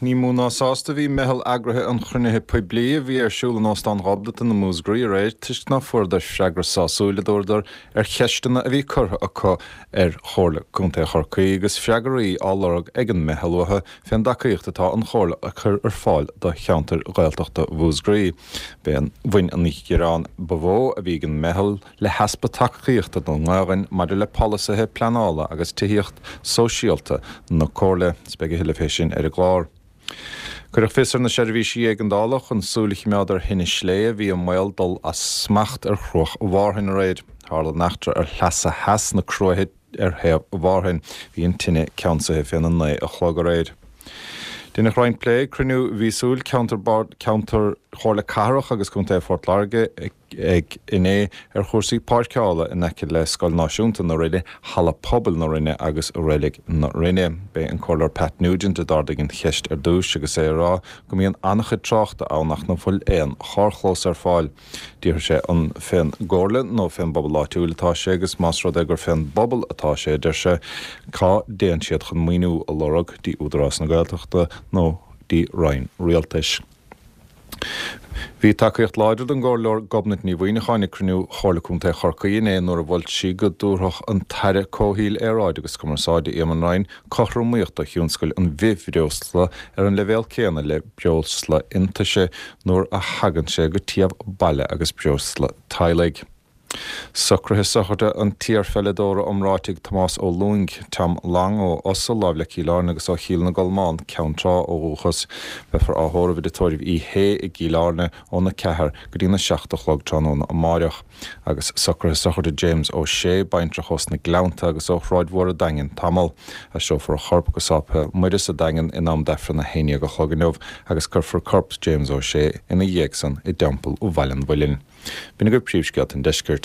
Ní mó ná sásta a bhí meitheal eagraithe an chruinnithe poiblí a bhí ar siúl in Óstán Ghobnatan i Múscraí aréir toisc ná fuaireadar freagra sásúil, a dúradar, ar cheisteanna a bhí curtha acu ar Chomhairle Contae Chorcaí agus freagraí á lorg ag an meitheal uathu fén dtacaíocht atá an Chomhairle a cur ar fáil do cheantair Ghaeltachta Mhúscraí. Bhain an gearán ba mhó a bhí ag an meitheal le heaspa tacaíochta don nGaelainn maidir le polasaithe pleanála agus tithíocht sóisialta na Comhairle. Is beidh a thuilleadh fé sin ar an gclár. Cuireadh fios ar na seirbhísí éigeandála chun súil a chimeád ar thine slé a bhí i mbaol dul as smacht ar Chruach Mhárthain aréir. Tharla an eachtra ar shleasa theas na Cruaiche ar thaobh Mhárthain. Bhí an tine ceansaithe féna 9 a chlog aréir. Deineadh roinnt plé ag cruinniú mhíosúil Ceantar Ceantar Chomhairle Cathrach agus Contae Phort Láirge ag inné ar chúrsaí páirceála in aice le Scoil Náisiúnta na Rinne, Halla Pobail na Rinne agus Reilig na Rinne. B'é an Comhairleoir Pat Nugent a d'ardaigh an cheist ar dtús agus é ag rá go mbíonn an-chuid tráchta ann ach nach bhfuil aon charrchlós ar fáil. D'fhiafraigh sé an fén gComhairle nó fén bpobal áitiúil atá sé agus más rud é gur fén bpobal atá sé, a deir sé, cá dtéann siad chun maoiniú a lorg, dtí Údarás na Gaeltachta nó dtí Roinn Rialtais. Bhí tacaíocht láidir don gComhairleoir Gobnait Ní Mhuimhneacháin ag cruinniú Chomhairle Contae Chorcaí inné nuair a mhol sí go dtabharfadh an tAire Comhshaoil, Aeráide agus Cumarsáide Eamon Ryan cothromaíocht do thionscal an bhithbhreosla ar an leibhéal céanna le breosla iontaise nuair a thagann sé go téamh baile agus breosla teaghlaigh. Socruithe sochraide an t-iarpheileadóra iomráitigh Tomás Ó Lúing, Tom Long, ó Osa, láimh le Cill Airne agus ó Chill na gColmán, Ceann Trá ó dhúchas. Beifear á thórramh i dTigh Tórraimh Uí Shé i gCill Airne óna 4 go dtína 7 a chlog tráthnóna amáireach. Agus socruithe sochraide James Ó Sé, baintreach ós na Gleannta agus ó Shráid Mhór a' Daingin tamall. Aistreofar a chorp go Sáipéal Muire sa Daingean in am d'Aifreann a haon dhéag a chlog inniu agus cuirfear corp James Ó Sé ina dhiaidh san i dTeampall Bhaile an Mhuilinn. B'in agaibh príomhscéalta an deiscirt.